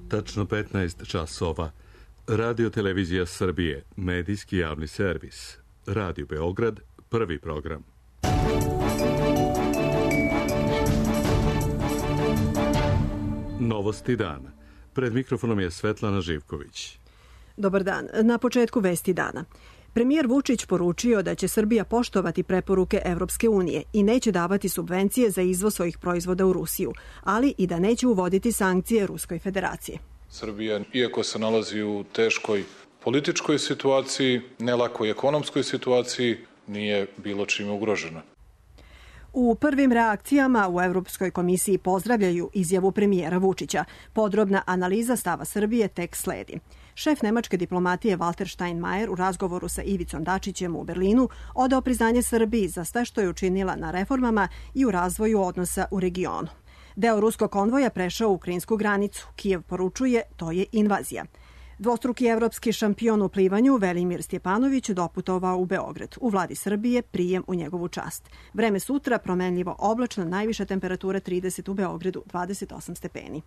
Tačno 15 časova. Radio Televizija Srbije, medijski javni servis. Radio Beograd, prvi program. Novosti dana. Pred mikrofonom je Svetlana Živković. Dobar dan. Na početku vesti dana. Premijer Vučić poručio da će Srbija poštovati preporuke Evropske unije i neće davati subvencije za izvoz svojih proizvoda u Rusiju, ali i da neće uvoditi sankcije Ruskoj federaciji. Srbija, iako se nalazi u teškoj političkoj situaciji, nelakoj ekonomskoj situaciji, nije bilo čime ugrožena. U prvim reakcijama u Evropskoj komisiji pozdravljaju izjavu premijera Vučića. Podrobna analiza stava Srbije tek sledi. Šef nemačke diplomatije Walter Steinmeier u razgovoru sa Ivicom Dačićem u Berlinu odao priznanje Srbiji za sve što je učinila na reformama i u razvoju odnosa u regionu. Deo ruskog konvoja prešao u ukrajinsku granicu. Kijev poručuje, to je invazija. Dvostruki evropski šampion u plivanju Velimir Stjepanović doputovao u Beograd. U vladi Srbije prijem u njegovu čast. Vreme sutra promenljivo oblačno, najviša temperatura 30 u Beogradu, 28 stepeni.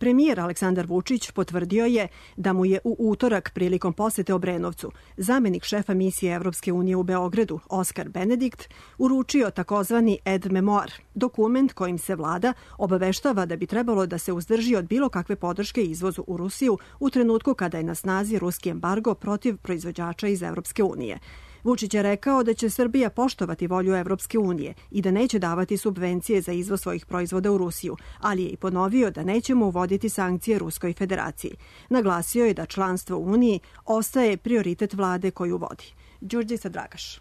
Premijer Aleksandar Vučić potvrdio je da mu je u utorak prilikom posete Obrenovcu zamenik šefa misije Evropske unije u Beogradu, Oskar Benedikt, uručio takozvani Aide Memoire, dokument kojim se vlada obaveštava da bi trebalo da se uzdrži od bilo kakve podrške izvozu u Rusiju u trenutku kada je na snazi ruski embargo protiv proizvođača iz Evropske unije. Vučić je rekao da će Srbija poštovati volju Evropske unije i da neće davati subvencije za izvoz svojih proizvoda u Rusiju, ali je i ponovio da nećemo uvoditi sankcije Ruskoj federaciji. Naglasio je da članstvo u Uniji ostaje prioritet vlade koju vodi. Đurđica Dragaš.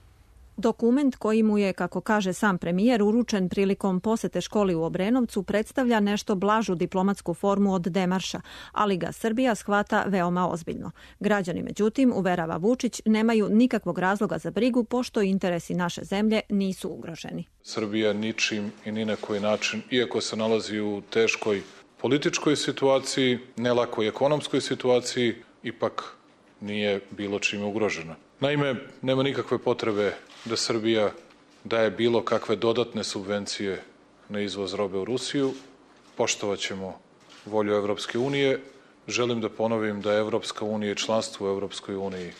Dokument koji mu je, kako kaže sam premijer, uručen prilikom posete školi u Obrenovcu predstavlja nešto blažu diplomatsku formu od demarša, ali ga Srbija shvata veoma ozbiljno. Građani, međutim, uverava Vučić, nemaju nikakvog razloga za brigu pošto interesi naše zemlje nisu ugroženi. Srbija ničim i ni na koji način, iako se nalazi u teškoj političkoj situaciji, nelakoj ekonomskoj situaciji, ipak nije bilo čime ugrožena. Naime, nema nikakve potrebe da Srbija daje bilo kakve dodatne subvencije na izvoz robe u Rusiju. Poštovat ćemo volju Evropske unije. Želim da ponovim da je Evropska unija i članstvo u Evropskoj uniji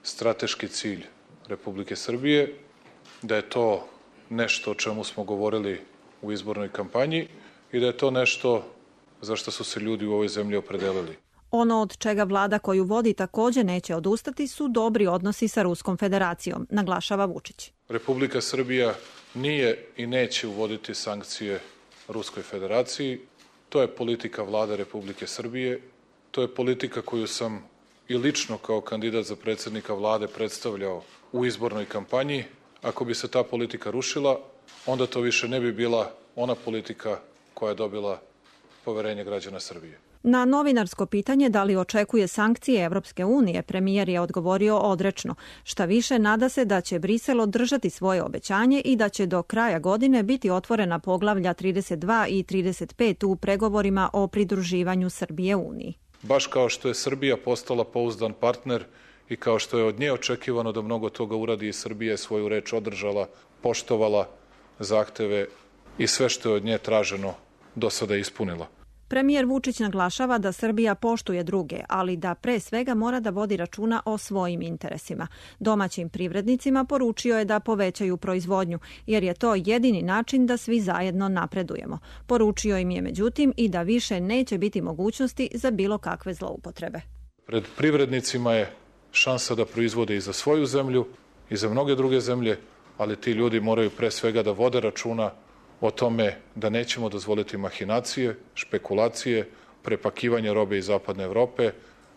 strateški cilj Republike Srbije, da je to nešto o čemu smo govorili u izbornoj kampanji i da je to nešto za što su se ljudi u ovoj zemlji opredelili. Ono od čega vlada koju vodi također neće odustati su dobri odnosi sa Ruskom federacijom, naglašava Vučić. Republika Srbija nije i neće uvoditi sankcije Ruskoj federaciji. To je politika vlade Republike Srbije. To je politika koju sam i lično kao kandidat za predsjednika vlade predstavljao u izbornoj kampanji. Ako bi se ta politika rušila, onda to više ne bi bila ona politika koja je dobila poverenje građana Srbije. Na novinarsko pitanje da li očekuje sankcije Evropske unije, premijer je odgovorio odrečno. Šta više, nada se da će Brisel održati svoje obećanje i da će do kraja godine biti otvorena poglavlja 32 i 35 u pregovorima o pridruživanju Srbije Uniji. Baš kao što je Srbija postala pouzdan partner i kao što je od nje očekivano da mnogo toga uradi i Srbija je svoju reč održala, poštovala zahteve i sve što je od nje traženo do sada ispunila. Premijer Vučić naglašava da Srbija poštuje druge, ali da pre svega mora da vodi računa o svojim interesima. Domaćim privrednicima poručio je da povećaju proizvodnju, jer je to jedini način da svi zajedno napredujemo. Poručio im je međutim i da više neće biti mogućnosti za bilo kakve zloupotrebe. Pred privrednicima je šansa da proizvode i za svoju zemlju i za mnoge druge zemlje, ali ti ljudi moraju pre svega da vode računa o tome da nećemo dozvoliti mahinacije, špekulacije, prepakivanje robe iz zapadne Evrope,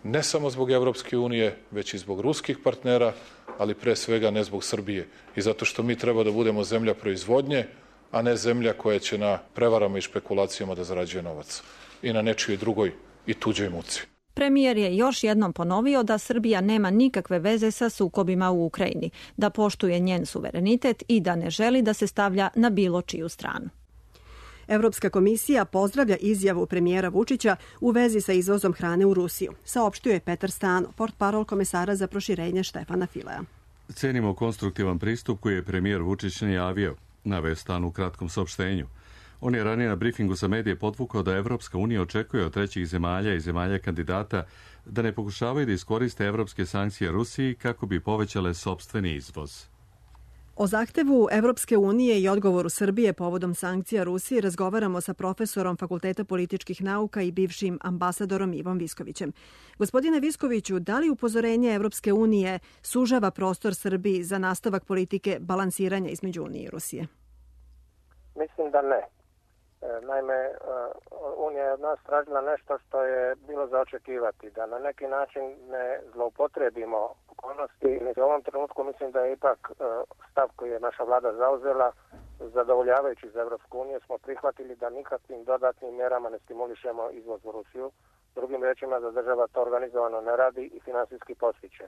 ne samo zbog Evropske unije, već i zbog ruskih partnera, ali pre svega ne zbog Srbije. I zato što mi treba da budemo zemlja proizvodnje, a ne zemlja koja će na prevarama i špekulacijama da zarađuje novac. I na nečijoj drugoj i tuđoj muci. Premijer je još jednom ponovio da Srbija nema nikakve veze sa sukobima u Ukrajini, da poštuje njen suverenitet i da ne želi da se stavlja na bilo čiju stranu. Evropska komisija pozdravlja izjavu premijera Vučića u vezi sa izvozom hrane u Rusiju, saopštio je Petar Stano, portparol komesara za proširenje Štefana Filea. Cenimo konstruktivan pristup koji je premijer Vučić najavio, naveo Stan u kratkom saopštenju. On je ranije na briefingu za medije podvukao da Evropska unija očekuje od trećih zemalja i zemalja kandidata da ne pokušavaju da iskoriste evropske sankcije Rusiji kako bi povećale sopstveni izvoz. O zahtevu Evropske unije i odgovoru Srbije povodom sankcija Rusiji razgovaramo sa profesorom Fakulteta političkih nauka i bivšim ambasadorom Ivom Viskovićem. Gospodine Viskoviću, da li upozorenje Evropske unije sužava prostor Srbiji za nastavak politike balansiranja između Unije i Rusije? Mislim da ne. Naime, Unija je od nas tražila nešto što je bilo za očekivati, da na neki način ne zloupotrebimo okolnosti. U ovom trenutku mislim da je ipak stav koji je naša vlada zauzela zadovoljavajući za Evropsku uniju. Smo prihvatili da nikakvim dodatnim mjerama ne stimulišemo izvoz u Rusiju. Drugim rečima, da država to organizovano ne radi i finansijski postiče.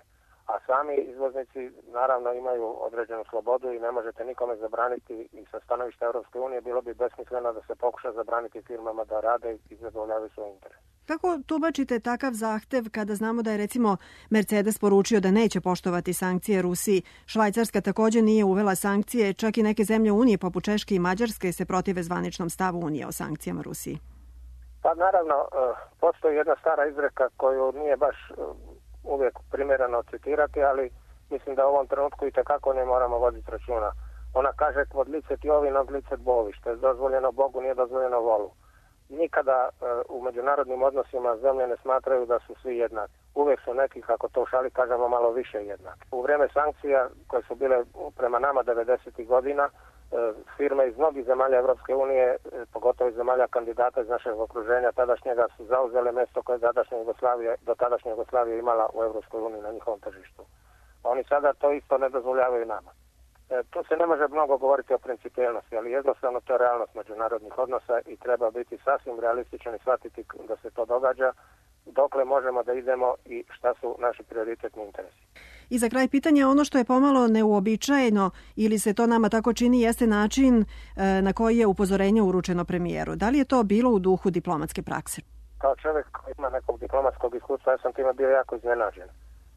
A sami izvoznici naravno imaju određenu slobodu i ne možete nikome zabraniti, i sa stanovišta Europske unije bilo bi besmisleno da se pokuša zabraniti firmama da rade i zadovoljavaju svoj interes. Kako tumačite takav zahtev kada znamo da je recimo Mercedes poručio da neće poštovati sankcije Rusiji? Švajcarska također nije uvela sankcije, čak i neke zemlje Unije poput Češke i Mađarske se protive zvaničnom stavu Unije o sankcijama Rusiji. Pa naravno, postoji jedna stara izreka koju nije baš uvijek primjereno citirati, ali mislim da u ovom trenutku i tekako ne moramo voditi računa. Ona kaže kvod licet Jovi, od licet Bovi, što je dozvoljeno Bogu, nije dozvoljeno volu. Nikada u međunarodnim odnosima zemlje ne smatraju da su svi jednaki. Uvijek su neki, kako to u šali kažemo, malo više jednaki. U vrijeme sankcija koje su bile prema nama 90. godina, firme iz mnogih zemalja Evropske unije, pogotovo iz zemalja kandidata iz našeg okruženja, tadašnjega su zauzele mjesto koje do tadašnje Jugoslavije imala u Evropskoj uniji na njihovom tržištu. Oni sada to isto ne dozvoljavaju nama. Tu se ne može mnogo govoriti o principijelnosti, ali jednostavno to je realnost međunarodnih odnosa i treba biti sasvim realističan i shvatiti da se to događa, dokle možemo da idemo i šta su naši prioritetni interesi. I za kraj pitanja, ono što je pomalo neuobičajeno ili se to nama tako čini jeste način na koji je upozorenje uručeno premijeru. Da li je to bilo u duhu diplomatske prakse? Kao čovjek koji ima nekog diplomatskog iskustva, ja sam time bio jako iznenađen.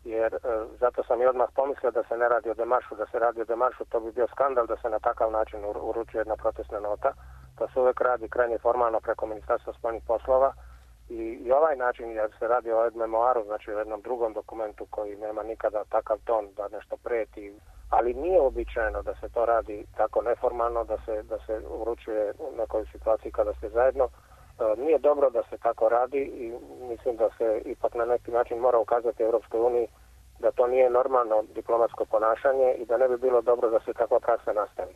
Jer zato sam i odmah pomislio da se ne radi o demaršu, da se radi o demaršu, to bi bio skandal da se na takav način uručuje jedna protestna nota. To se uvijek radi krajnje formalno preko Ministarstva spoljnih poslova i ovaj način, jer se radi o memoaru, znači o jednom drugom dokumentu koji nema nikada takav ton da nešto preti, ali nije običajno da se to radi tako neformalno, da se uručuje u nekoj situaciji kada ste zajedno. Nije dobro da se tako radi i mislim da se ipak na neki način mora ukazati Europskoj uniji da to nije normalno diplomatsko ponašanje i da ne bi bilo dobro da se takva praksa nastavi.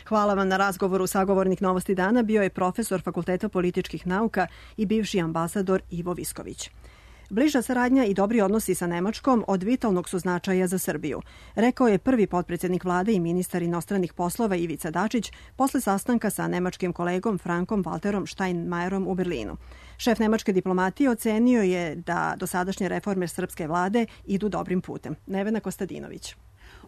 Hvala vam na razgovoru. Sagovornik Novosti dana bio je profesor Fakulteta političkih nauka i bivši ambasador Ivo Visković. Bliža saradnja i dobri odnosi sa Nemačkom od vitalnog su značaja za Srbiju, rekao je prvi potpredsjednik vlade i ministar inostranih poslova Ivica Dačić posle sastanka sa nemačkim kolegom Frankom Walterom Steinmeierom u Berlinu. Šef nemačke diplomatije ocenio je da dosadašnje reforme srpske vlade idu dobrim putem. Nevena Kostadinović.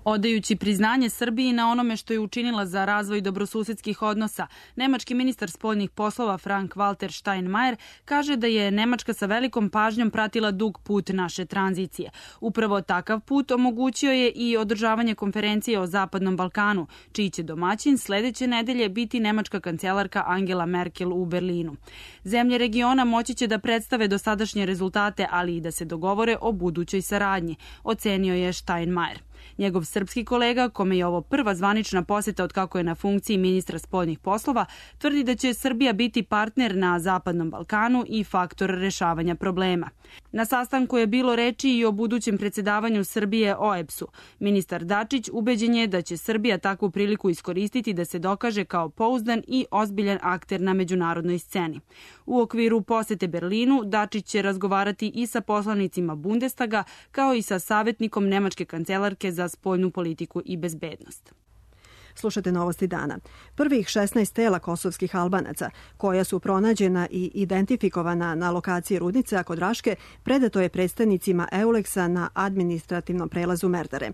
Odajući priznanje Srbiji na onome što je učinila za razvoj dobrosusedskih odnosa, nemački ministar spoljnih poslova Frank Walter Steinmeier kaže da je Nemačka sa velikom pažnjom pratila dug put naše tranzicije. Upravo takav put omogućio je i održavanje konferencije o Zapadnom Balkanu, čiji će domaćin sledeće nedelje biti nemačka kancelarka Angela Merkel u Berlinu. Zemlje regiona moći će da predstave dosadašnje rezultate, ali i da se dogovore o budućoj saradnji, ocenio je Steinmeier. Njegov srpski kolega, kome je ovo prva zvanična posjeta od kako je na funkciji ministra spoljnih poslova, tvrdi da će Srbija biti partner na Zapadnom Balkanu i faktor rešavanja problema. Na sastanku je bilo reči i o budućem predsjedavanju Srbije OEBS-u. Ministar Dačić ubeđen je da će Srbija takvu priliku iskoristiti da se dokaže kao pouzdan i ozbiljan akter na međunarodnoj sceni. U okviru posete Berlinu Dačić će razgovarati i sa poslanicima Bundestaga, kao i sa savjetnikom nemačke kancelarke za spoljnu politiku i bezbednost. Slušate Novosti dana. Prvih 16 tela kosovskih Albanaca, koja su pronađena i identifikovana na lokaciji rudnice kod Raške, predato je predstavnicima EULEX-a na administrativnom prelazu Merdare.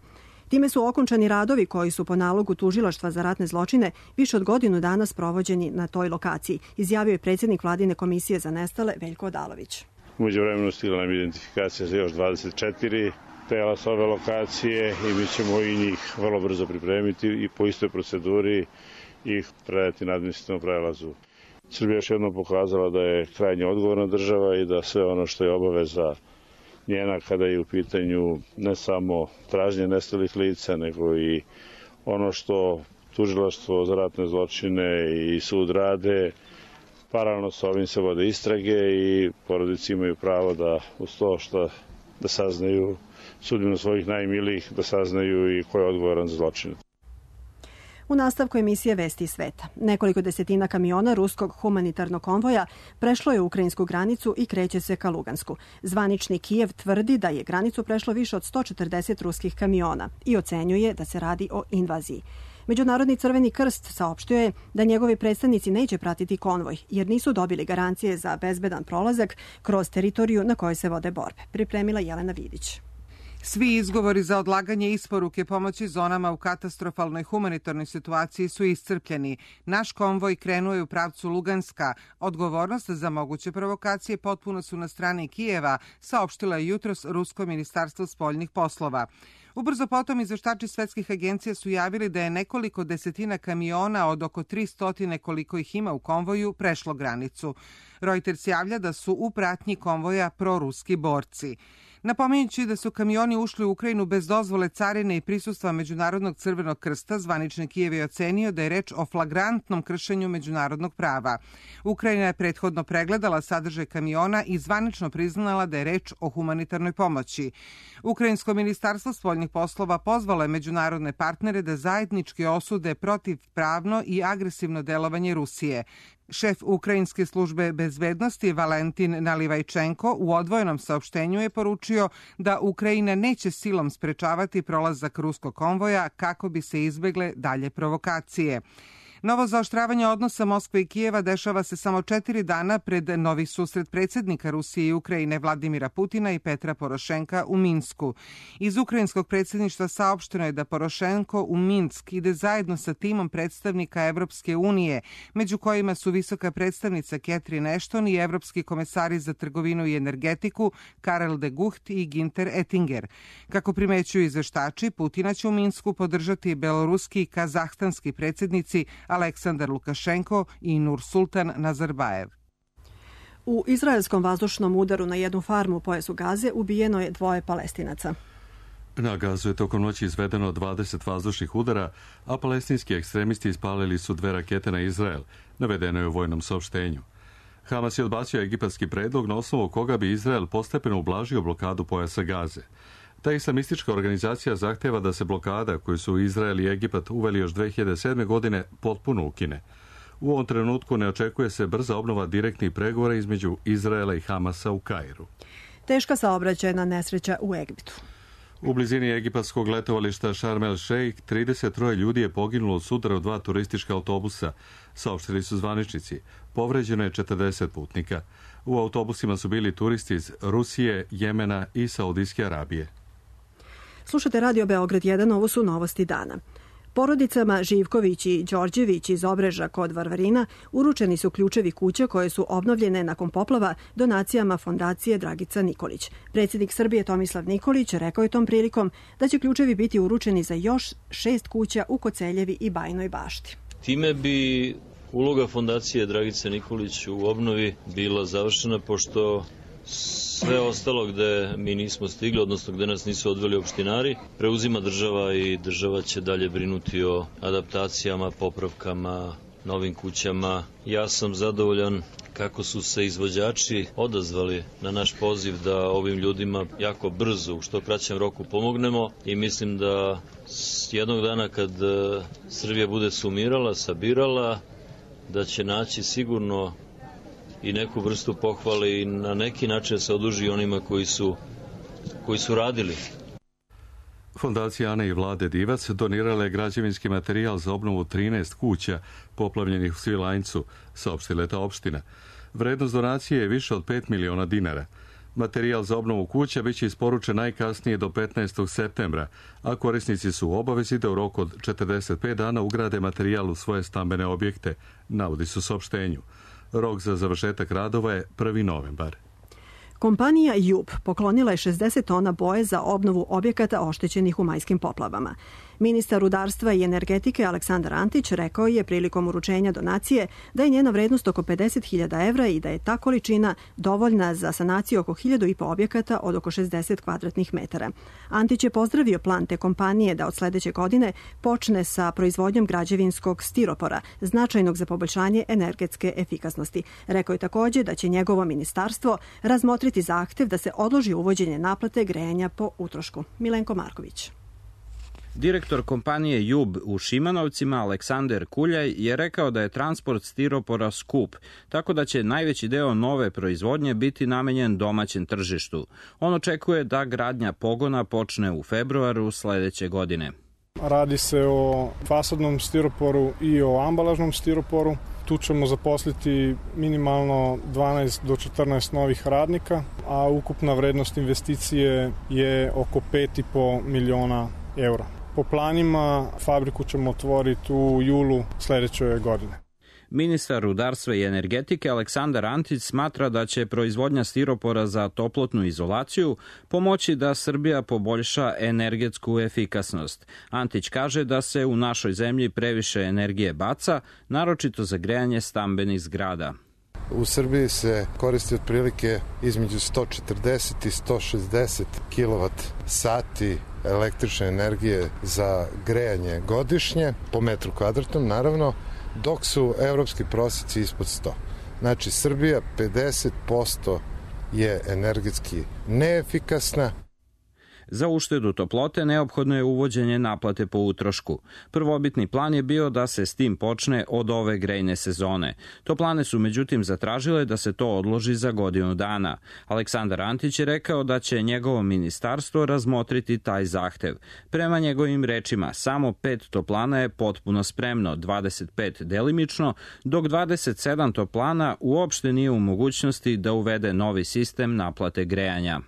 Time su okončani radovi koji su po nalogu Tužilaštva za ratne zločine više od godinu dana sprovođeni na toj lokaciji, izjavio je predsjednik Vladine komisije za nestale Veljko Odalović. U međuvremenu stigla nam identifikacija za još 24 tela s ove lokacije i mi ćemo i njih vrlo brzo pripremiti i po istoj proceduri ih predati na administrativnom prelazu. Srbija još jednom pokazala da je krajnje odgovorna država i da sve ono što je obaveza njena kada je u pitanju ne samo traženje nestalih lica, nego i ono što tužilaštvo za ratne zločine i sud rade. Paralelno sa ovim se vode istrage i porodice imaju pravo da uz to da saznaju sudbinu svojih najmilijih, da saznaju i ko je odgovoran za zločine. U nastavku emisije Vesti sveta. Nekoliko desetina kamiona ruskog humanitarnog konvoja prešlo je ukrajinsku granicu i kreće se ka Lugansku. Zvanični Kijev tvrdi da je granicu prešlo više od 140 ruskih kamiona i ocenjuje da se radi o invaziji. Međunarodni Crveni krst saopštio je da njegovi predstavnici neće pratiti konvoj jer nisu dobili garancije za bezbedan prolazak kroz teritoriju na kojoj se vode borbe. Pripremila Jelena Vidić. Svi izgovori za odlaganje isporuke pomoći zonama u katastrofalnoj humanitarnoj situaciji su iscrpljeni. Naš konvoj krenuo je u pravcu Luganska. Odgovornost za moguće provokacije potpuno su na strani Kijeva, saopštila je jutros Rusko ministarstvo spoljnih poslova. Ubrzo potom izveštači svetskih agencija su javili da je nekoliko desetina kamiona od oko 300 koliko ih ima u konvoju prešlo granicu. Reuters javlja da su u pratnji konvoja proruski borci. Napominjući da su kamioni ušli u Ukrajinu bez dozvole carine i prisustva Međunarodnog Crvenog krsta, zvanični Kijev je ocenio da je reč o flagrantnom kršenju međunarodnog prava. Ukrajina je prethodno pregledala sadržaj kamiona i zvanično priznala da je reč o humanitarnoj pomoći. Ukrajinsko ministarstvo spoljnih poslova pozvalo je međunarodne partnere da zajednički osude protivpravno i agresivno delovanje Rusije. Šef Ukrajinske službe bezbednosti Valentin Nalivajčenko u odvojenom saopštenju je poručio da Ukrajina neće silom sprečavati prolazak ruskog konvoja kako bi se izbegle dalje provokacije. Novo zaoštravanje odnosa Moskve i Kijeva dešava se samo 4 dana pred novi susret predsjednika Rusije i Ukrajine Vladimira Putina i Petra Porošenka u Minsku. Iz ukrajinskog predsjedništva saopšteno je da Porošenko u Minsk ide zajedno sa timom predstavnika Evropske unije, među kojima su visoka predstavnica Catherine Ashton i evropski komesari za trgovinu i energetiku Karel de Gucht i Ginter Ettinger. Kako primećuju izveštači, Putina će u Minsku podržati beloruski i kazahstanski predsjednici Aleksandar Lukašenko i Nursultan Nazarbajev. U izraelskom vazdušnom udaru na jednu farmu u pojasu Gaze ubijeno je 2 Palestinaca. Na Gazu je tokom noći izvedeno 20 vazdušnih udara, a palestinski ekstremisti ispalili su 2 rakete na Izrael, navedeno je u vojnom saopštenju. Hamas je odbacio egipatski predlog na osnovu koga bi Izrael postepeno ublažio blokadu pojasa Gaze. Ta islamistička organizacija zahteva da se blokada koju su Izrael i Egipat uveli još 2007. godine potpuno ukine. U ovom trenutku ne očekuje se brza obnova direktnih pregovora između Izraela i Hamasa u Kairu. Teška saobraćajna nesreća u Egiptu. U blizini egipatskog letovališta Sharm el Sheikh 33 ljudi je poginulo od sudara u 2 turistička autobusa, saopštili su zvaničnici. Povređeno je 40 putnika. U autobusima su bili turisti iz Rusije, Jemena i Saudijske Arabije. Slušate Radio Beograd 1, ovo su novosti dana. Porodicama Živković i Đorđević iz Obreža kod Varvarina uručeni su ključevi kuća koje su obnovljene nakon poplava donacijama fondacije Dragica Nikolić. Predsjednik Srbije Tomislav Nikolić rekao je tom prilikom da će ključevi biti uručeni za još 6 kuća u Koceljevi i Bajnoj Bašti. Time bi uloga fondacije Dragice Nikolić u obnovi bila završena, pošto sve ostalo gde mi nismo stigli, odnosno gde nas nisu odveli opštinari, preuzima država i država će dalje brinuti o adaptacijama, popravkama, novim kućama. Ja sam zadovoljan kako su se izvođači odazvali na naš poziv da ovim ljudima jako brzo, u što kraćem roku pomognemo i mislim da jednog dana kad Srbija bude sumirala, sabirala, da će naći sigurno i neku vrstu pohvale i na neki način se oduži onima koji su radili. Fondacija Ane i Vlade Divac donirala je građevinski materijal za obnovu 13 kuća poplavljenih u Svilajncu, saopštila je ta opština. Vrednost donacije je više od 5 miliona dinara. Materijal za obnovu kuća biće isporučen najkasnije do 15. septembra, a korisnici su u obavezi da u roku od 45 dana ugrade materijal u svoje stambene objekte, navodi se u saopštenju. Rok za završetak radova je 1. novembar. Kompanija JUB poklonila je 60 tona boje za obnovu objekata oštećenih u majskim poplavama. Ministar rudarstva i energetike Aleksandar Antić rekao je prilikom uručenja donacije da je njena vrednost oko 50.000 evra i da je ta količina dovoljna za sanaciju oko 1.500 objekata od oko 60 kvadratnih metara. Antić je pozdravio plan te kompanije da od sledeće godine počne sa proizvodnjom građevinskog stiropora, značajnog za poboljšanje energetske efikasnosti. Rekao je takođe da će njegovo ministarstvo razmotriti zahtev da se odloži uvođenje naplate grejanja po utrošku. Milenko Marković. Direktor kompanije JUB u Šimanovcima, Aleksander Kuljaj, je rekao da je transport stiropora skup, tako da će najveći deo nove proizvodnje biti namenjen domaćem tržištu. On očekuje da gradnja pogona počne u februaru sledeće godine. Radi se o fasadnom stiroporu i o ambalažnom stiroporu. Tu ćemo zaposliti minimalno 12 do 14 novih radnika, a ukupna vrednost investicije je oko 5,5 miliona eura. Po planima fabriku ćemo otvoriti u julu sledeće godine. Ministar rudarstva i energetike Aleksandar Antić smatra da će proizvodnja stiropora za toplotnu izolaciju pomoći da Srbija poboljša energetsku efikasnost. Antić kaže da se u našoj zemlji previše energije baca, naročito za grejanje stambenih zgrada. U Srbiji se koristi otprilike između 140 i 160 kWh električne energije za grejanje godišnje, po metru kvadratnom naravno, dok su evropski prosjeci ispod 100. Znači, Srbija 50% je energetski neefikasna. Za uštedu toplote neophodno je uvođenje naplate po utrošku. Prvobitni plan je bio da se s tim počne od ove grejne sezone. Toplane su međutim zatražile da se to odloži za godinu dana. Aleksandar Antić je rekao da će njegovo ministarstvo razmotriti taj zahtev. Prema njegovim rečima, samo 5 toplana je potpuno spremno, 25 delimično, dok 27 toplana uopšte nije u mogućnosti da uvede novi sistem naplate grejanja.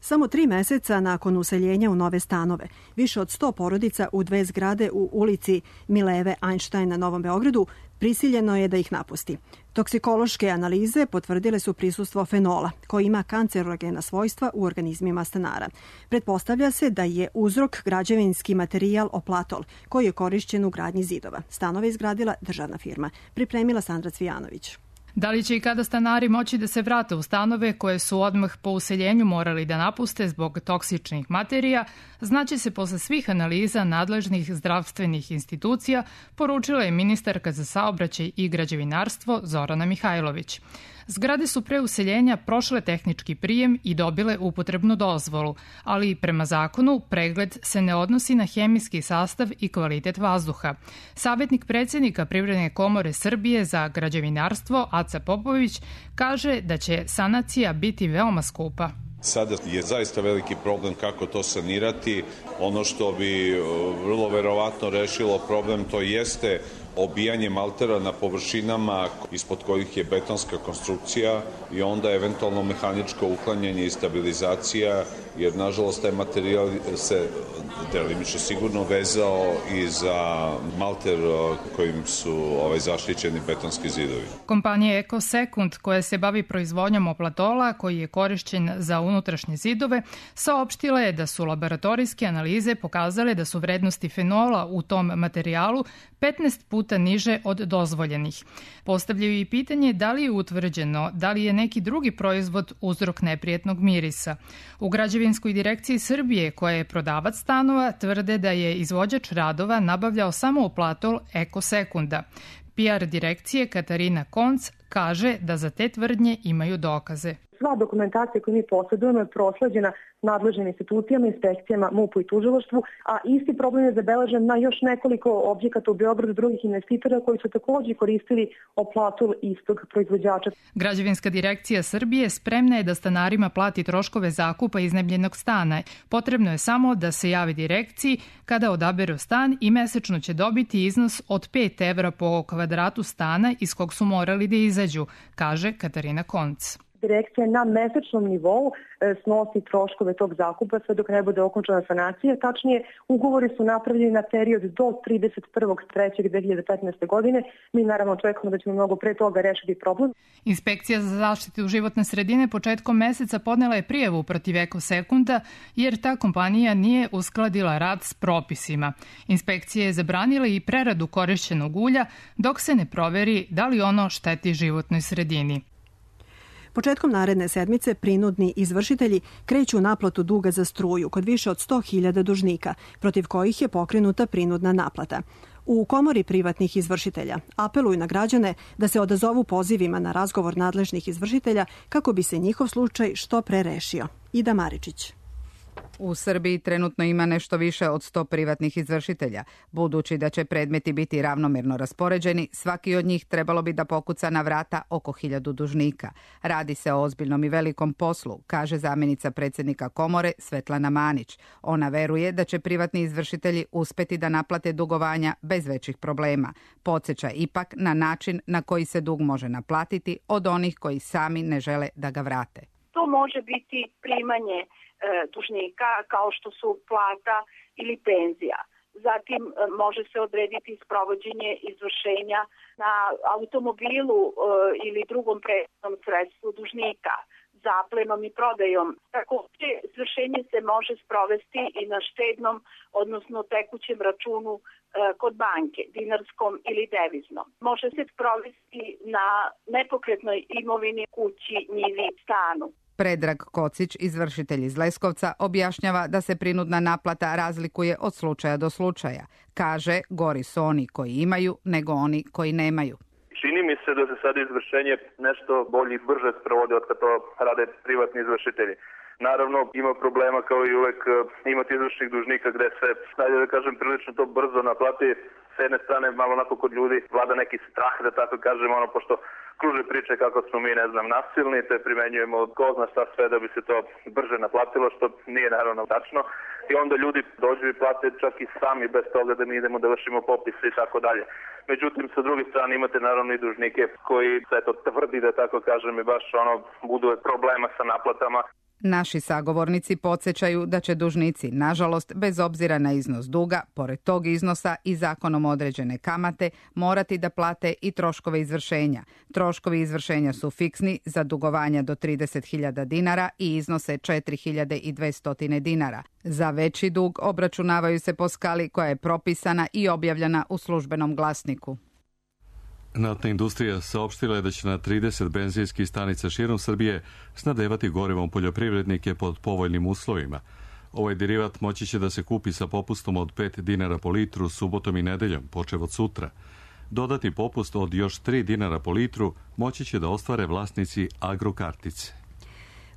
Samo 3 meseca nakon useljenja u nove stanove, više od 100 porodica u 2 zgrade u ulici Mileve Einstein na Novom Beogradu prisiljeno je da ih napusti. Toksikološke analize potvrdile su prisustvo fenola, koji ima kancerogena svojstva u organizmima stanara. Pretpostavlja se da je uzrok građevinski materijal oplatol, koji je korišćen u gradnji zidova. Stanove izgradila državna firma. Pripremila Sandra Cvijanović. Da li će i kada stanari moći da se vrate u stanove koje su odmah po useljenju morali da napuste zbog toksičnih materija, znaće se posle svih analiza nadležnih zdravstvenih institucija, poručila je ministarka za saobraćaj i građevinarstvo Zorana Mihajlović. Zgrade su pre useljenja prošle tehnički prijem i dobile upotrebnu dozvolu, ali prema zakonu pregled se ne odnosi na hemijski sastav i kvalitet vazduha. Savetnik predsjednika Privredne komore Srbije za građevinarstvo Aca Popović kaže da će sanacija biti veoma skupa. Sada je zaista veliki problem kako to sanirati. Ono što bi vrlo verovatno rešilo problem to jeste obijanje maltera na površinama ispod kojih je betonska konstrukcija i onda eventualno mehaničko uklanjanje i stabilizacija, jer nažalost taj materijal se delimično sigurno vezao i za malter kojim su zaštićeni betonski zidovi. Kompanija EcoSecond, koja se bavi proizvodnjom oplatola koji je korišćen za unutrašnje zidove, saopštila je da su laboratorijske analize pokazale da su vrednosti fenola u tom materijalu 15 puta niže od dozvoljenih. Postavljaju i pitanje da li je utvrđeno da li je neki drugi proizvod uzrok neprijetnog mirisa. U Građevinskoj direkciji Srbije, koja je prodavac stanova, tvrde da je izvođač radova nabavljao samo oplatol EcoSecunda. PR direkcije Katarina Konc kaže da za te tvrdnje imaju dokaze. Sva dokumentacija koju mi posjedujemo je prosleđena nadležnim institucijama, inspekcijama, MUP-u i tužilaštvu, a isti problem je zabeležen na još nekoliko objekata u Beogradu drugih investitora koji su takođe koristili oplatol istog proizvođača. Građevinska direkcija Srbije spremna je da stanarima plati troškove zakupa iznajmljenog stana. Potrebno je samo da se javi direkciji kada odaberu stan i mesečno će dobiti iznos od 5 evra po kvadratu stana iz kog su morali da izađu, kaže Katarina Konc. direkcija na mesečnom nivou snosi troškove tog zakupa sve dok ne bude okončana sanacija. Tačnije, ugovori su napravljeni na period do 31.3.2015. godine. Mi naravno očekujemo da ćemo mnogo pre toga rešiti problem. Inspekcija za zaštitu životne sredine početkom meseca podnela je prijavu protiv Ekosekunda jer ta kompanija nije uskladila rad s propisima. Inspekcija je zabranila i preradu korišćenog ulja dok se ne proveri da li ono šteti životnoj sredini. Početkom naredne sedmice prinudni izvršitelji kreću u naplatu duga za struju kod više od 100.000 dužnika, protiv kojih je pokrenuta prinudna naplata. U Komori privatnih izvršitelja apeluju na građane da se odazovu pozivima na razgovor nadležnih izvršitelja kako bi se njihov slučaj što pre rešio. Ida Maričić. U Srbiji trenutno ima nešto više od 100 privatnih izvršitelja. Budući da će predmeti biti ravnomerno raspoređeni, svaki od njih trebalo bi da pokuca na vrata oko 1000 dužnika. Radi se o ozbiljnom i velikom poslu, kaže zamjenica predsjednika Komore Svetlana Manić. Ona veruje da će privatni izvršitelji uspeti da naplate dugovanja bez većih problema. Podsjeća ipak na način na koji se dug može naplatiti od onih koji sami ne žele da ga vrate. To može biti primanje dužnika kao što su plata ili penzija. Zatim može se odrediti sprovođenje izvršenja na automobilu ili drugom prevoznom sredstvu dužnika, zaplenom i prodajom. Također, izvršenje se može sprovesti i na štednom, odnosno tekućem računu kod banke, dinarskom ili deviznom. Može se sprovesti na nepokretnoj imovini, kući, njivi, stanu. Predrag Kocić, izvršitelj iz Leskovca, objašnjava da se prinudna naplata razlikuje od slučaja do slučaja. Kaže, gori su oni koji imaju nego oni koji nemaju. Čini mi se da se sad izvršenje nešto bolje i brže sprovode od kad to rade privatni izvršitelji. Naravno, ima problema kao i uvek imati izvršnih dužnika gde se, da kažem, prilično to brzo naplati. S jedne strane, malo onako kod ljudi vlada neki strah, da tako kažem, pošto kruže priče kako smo mi, nasilni, te primenjujemo ko zna šta sve da bi se to brže naplatilo, što nije naravno tačno. I onda ljudi dođu i plate čak i sami bez toga da mi idemo da vršimo popise i tako dalje. Međutim, sa druge strane imate naravno i dužnike koji se to tvrdi, da tako kažem, i baš budu problema sa naplatama. Naši sagovornici podsjećaju da će dužnici, nažalost, bez obzira na iznos duga, pored tog iznosa i zakonom određene kamate, morati da plate i troškove izvršenja. Troškovi izvršenja su fiksni za dugovanja do 30.000 dinara i iznose 4.200 dinara. Za veći dug obračunavaju se po skali koja je propisana i objavljena u službenom glasniku. Naftna industrija saopštila je da će na 30 benzinskih stanica širom Srbije snadevati gorivom poljoprivrednike pod povoljnim uslovima. Ovaj derivat moći će da se kupi sa popustom od 5 dinara po litru subotom i nedeljom, počev od sutra. Dodati popust od još 3 dinara po litru moći će da ostvare vlasnici agrokartice.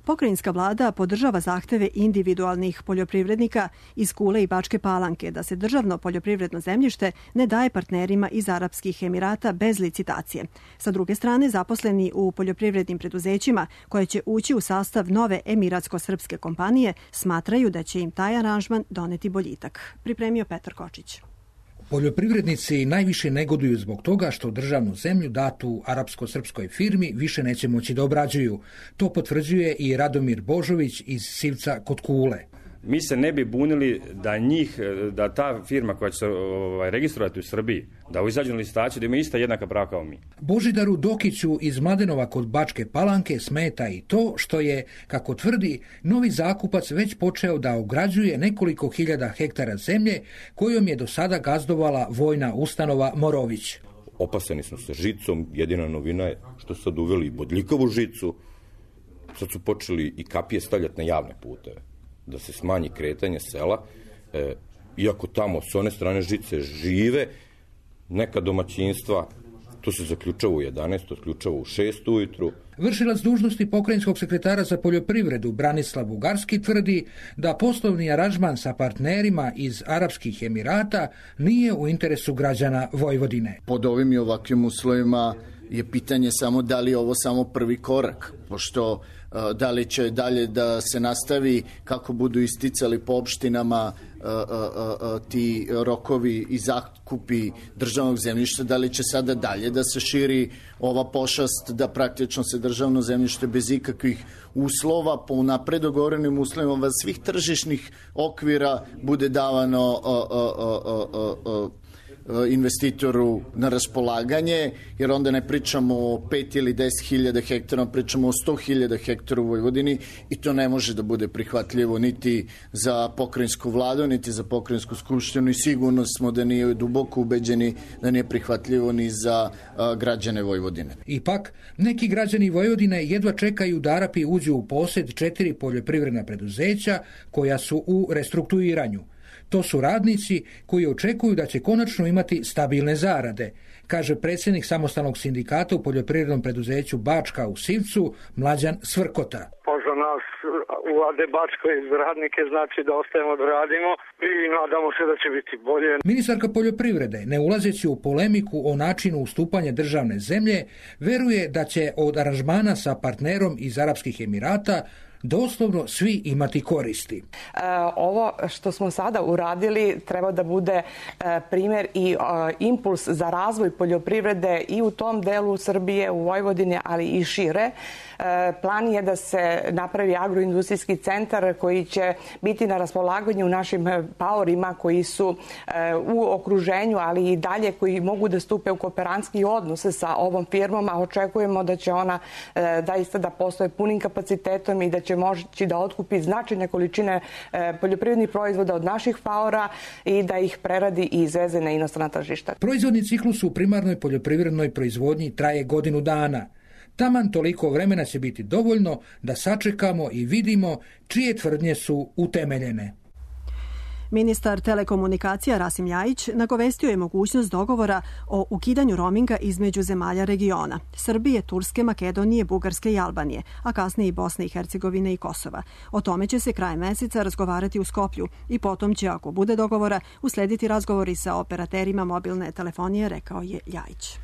Pokrajinska vlada podržava zahteve individualnih poljoprivrednika iz Kule i Bačke Palanke da se državno poljoprivredno zemljište ne daje partnerima iz Arapskih Emirata bez licitacije. Sa druge strane, zaposleni u poljoprivrednim preduzećima koje će ući u sastav nove emiratsko-srpske kompanije smatraju da će im taj aranžman doneti boljitak. Pripremio Petar Kočić. Poljoprivrednici najviše negoduju zbog toga što državnu zemlju datu arapsko-srpskoj firmi više neće moći da obrađuju. To potvrđuje i Radomir Božović iz Sivca kod Kule. Mi se ne bi bunili da ta firma koja će se registrovati u Srbiji, da izađu na licitaciju, da ima ista jednaka prava kao mi. Božidaru Dokiću iz Mladenova kod Bačke Palanke smeta i to što je, kako tvrdi, novi zakupac već počeo da ograđuje nekoliko hiljada hektara zemlje kojom je do sada gazdovala vojna ustanova Morović. Opaseni smo sa žicom, jedina novina je što su sad uveli i bodljikavu žicu, sad su počeli i kapije stavljati na javne puteve, da se smanji kretanje sela, iako tamo s one strane žice žive neka domaćinstva, to se zaključava u 11, to zaključava u 6 ujutru. Vršilac dužnosti pokrajinskog sekretara za poljoprivredu Branislav Bugarski tvrdi da poslovni aranžman sa partnerima iz Arapskih Emirata nije u interesu građana Vojvodine. Pod ovim i ovakvim uslovima je pitanje samo da li je ovo samo prvi korak, pošto da li će dalje da se nastavi kako budu isticali po opštinama ti rokovi i zakupi državnog zemljišta, da li će sada dalje da se širi ova pošast da praktično se državno zemljište bez ikakvih uslova po unapred dogovorenim uslovima svih tržišnih okvira bude davano investitoru na raspolaganje, jer onda ne pričamo o 5 ili 10 hiljada hektara, pričamo o 100 hiljada hektara u Vojvodini i to ne može da bude prihvatljivo niti za pokrajinsku vladu, niti za pokrajinsku skupštinu i sigurno smo da nije duboko ubeđeni da nije prihvatljivo ni za građane Vojvodine. Ipak, neki građani Vojvodine jedva čekaju da Arapi uđu u posed 4 poljoprivredna preduzeća koja su u restrukturiranju. To su radnici koji očekuju da će konačno imati stabilne zarade, kaže predsjednik samostalnog sindikata u poljoprivrednom preduzeću Bačka u Sivcu, Mlađan Svrkota. Pa za nas u AD Bačka iz radnike znači da ostajemo da radimo i nadamo se da će biti bolje. Ministarka poljoprivrede, ne ulazeći u polemiku o načinu ustupanja državne zemlje, veruje da će od aranžmana sa partnerom iz Arapskih Emirata doslovno svi imati koristi. Ovo što smo sada uradili treba da bude primjer i impuls za razvoj poljoprivrede i u tom delu Srbije, u Vojvodini, ali i šire. Plan je da se napravi agroindustrijski centar koji će biti na raspolaganju našim paorima koji su u okruženju, ali i dalje koji mogu da stupe u kooperantski odnos sa ovom firmom, a očekujemo da će ona zaista da postoje punim kapacitetom i da će moći da otkupi značajne količine poljoprivrednih proizvoda od naših paora i da ih preradi i izveze na inostrana tržišta. Proizvodni ciklus u primarnoj poljoprivrednoj proizvodnji traje godinu dana. Taman toliko vremena će biti dovoljno da sačekamo i vidimo čije tvrdnje su utemeljene. Ministar telekomunikacija Rasim Ljajić nagovestio je mogućnost dogovora o ukidanju roaminga između zemalja regiona Srbije, Turske, Makedonije, Bugarske i Albanije, a kasnije i Bosne i Hercegovine i Kosova. O tome će se krajem meseca razgovarati u Skoplju i potom će, ako bude dogovora, uslediti razgovori sa operaterima mobilne telefonije, rekao je Ljajić.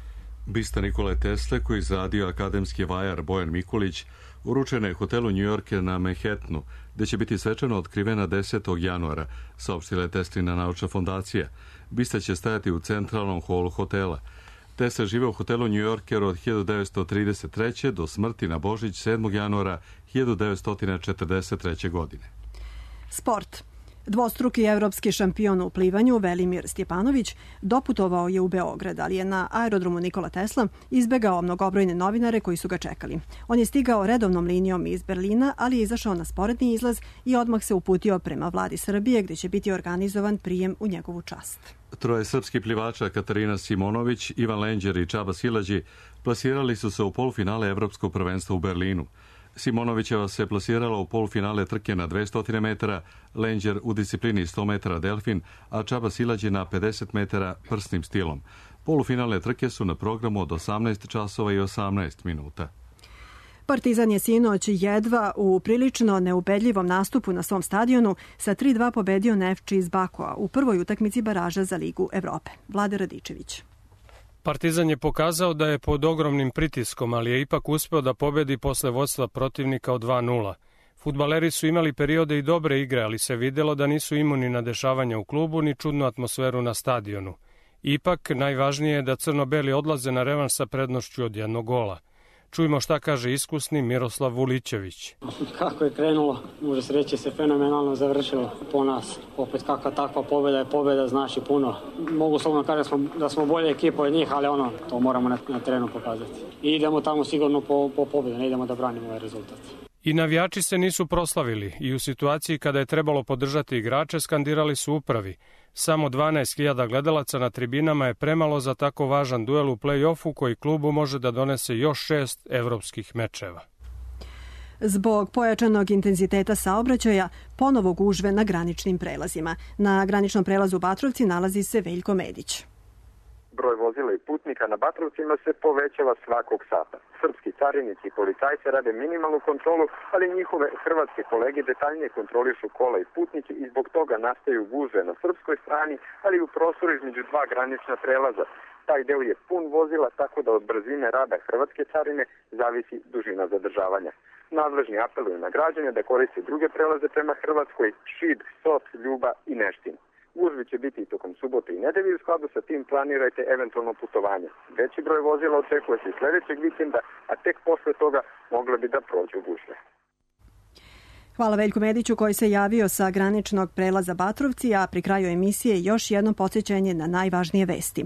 Bista Nikole Tesle, koji izradio akademski vajar Bojan Mikulić, uručena je hotelu New Yorker na Manhattanu, gde će biti svečano otkrivena 10. januara, saopštila je Teslina naučna fondacija. Bista će stajati u centralnom holu hotela. Tesla žive u hotelu New Yorker od 1933. do smrti na Božić 7. januara 1943. godine. Sport. Dvostruki evropski šampion u plivanju Velimir Stjepanović doputovao je u Beograd, ali je na aerodromu Nikola Tesla izbegao mnogobrojne novinare koji su ga čekali. On je stigao redovnom linijom iz Berlina, ali je izašao na sporedni izlaz i odmah se uputio prema vladi Srbije, gdje će biti organizovan prijem u njegovu čast. Troje srpskih plivača Katarina Simonović, Ivan Lenđer i Čaba Silađi plasirali su se u polufinale Evropskog prvenstva u Berlinu. Simonovićeva se plasirala u polufinale trke na 200 metara, Lenđer u disciplini 100 metara delfin, a Čaba Silađi na 50 metara prsnim stilom. Polufinale trke su na programu od 18 časova i 18 minuta. Partizan je sinoć jedva u prilično neubedljivom nastupu na svom stadionu sa 3-2 pobedio Nefči iz Bakua u prvoj utakmici baraža za Ligu Evrope. Vlade Radičević. Partizan je pokazao da je pod ogromnim pritiskom, ali je ipak uspeo da pobedi posle vodstva protivnika od 2-0. Fudbaleri su imali periode i dobre igre, ali se videlo da nisu imuni na dešavanja u klubu ni čudnu atmosferu na stadionu. Ipak, najvažnije je da crno-beli odlaze na revanš sa prednošću od 1 gola. Čujmo šta kaže iskusni Miroslav Vulićević. Kako je krenulo, može se reći se fenomenalno završilo po nas. Opet kakva takva pobjeda je pobjeda, znači puno. Mogu slobodno kažem da smo bolje ekipa od njih, ali to moramo na terenu pokazati. I idemo tamo sigurno po pobjedu, ne idemo da branimo ovaj rezultat. I navijači se nisu proslavili i u situaciji kada je trebalo podržati igrače skandirali su upravi. Samo 12.000 gledalaca na tribinama je premalo za tako važan duel u play-offu koji klubu može da donese još 6 evropskih mečeva. Zbog pojačanog intenziteta saobraćaja, ponovo gužve na graničnim prelazima. Na graničnom prelazu Batrovci nalazi se Veljko Medić. Broj vozila i putnika na Batrovcima se povećava svakog sata. Srpski carinici i policajci rade minimalnu kontrolu, ali njihove hrvatske kolege detaljnije kontrolišu kola i putnike i zbog toga nastaju gužve na srpskoj strani, ali i u prostoru između dva granična prelaza. Taj deo je pun vozila, tako da od brzine rada hrvatske carine zavisi dužina zadržavanja. Nadležni apeluju na građane da koriste druge prelaze prema Hrvatskoj, Šid, Sot, Ljuba i Neštin. Gužve će biti i tokom subote i nedelje i u skladu sa tim planirajte eventualno putovanje. Veći broj vozila očekuje se i sledećeg vikenda, a tek posle toga mogle bi da prođu gužve. Hvala Veljku Mediću koji se javio sa graničnog prelaza Batrovci, a pri kraju emisije još jedno podsjećanje na najvažnije vesti.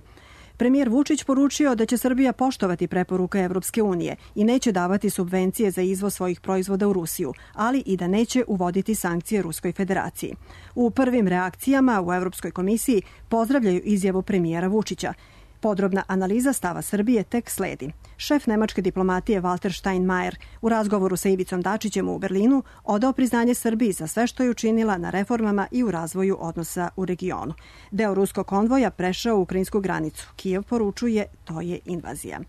Premijer Vučić poručio da će Srbija poštovati preporuke Evropske unije i neće davati subvencije za izvoz svojih proizvoda u Rusiju, ali i da neće uvoditi sankcije Ruskoj federaciji. U prvim reakcijama u Evropskoj komisiji pozdravljaju izjavu premijera Vučića. Podrobna analiza stava Srbije tek sledi. Šef nemačke diplomatije Walter Steinmeier u razgovoru sa Ivicom Dačićem u Berlinu odao priznanje Srbiji za sve što je učinila na reformama i u razvoju odnosa u regionu. Deo ruskog konvoja prešao u ukrajinsku granicu. Kijev poručuje to je invazija.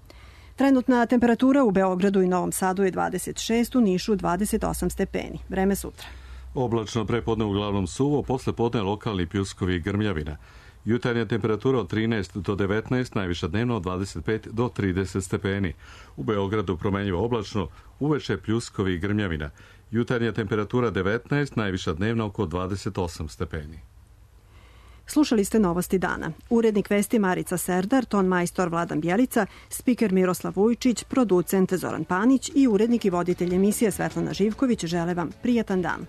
Trenutna temperatura u Beogradu i Novom Sadu je 26, u Nišu 28 stepeni. Vreme sutra. Oblačno prepodne uglavnom suvo, posle podne lokalni pljuskovi i grmljavina. Jutarnja temperatura od 13 do 19, najviša dnevno od 25 do 30 stepeni. U Beogradu promenljivo oblačno, uveče pljuskovi i grmljavina. Jutarnja temperatura 19, najviša dnevno oko 28 stepeni. Slušali ste Novosti dana. Urednik vesti Marica Serdar, ton majstor Vladan Bjelica, spiker Miroslav Vujčić, producent Zoran Panić i urednik i voditelj emisije Svetlana Živković žele vam prijatan dan.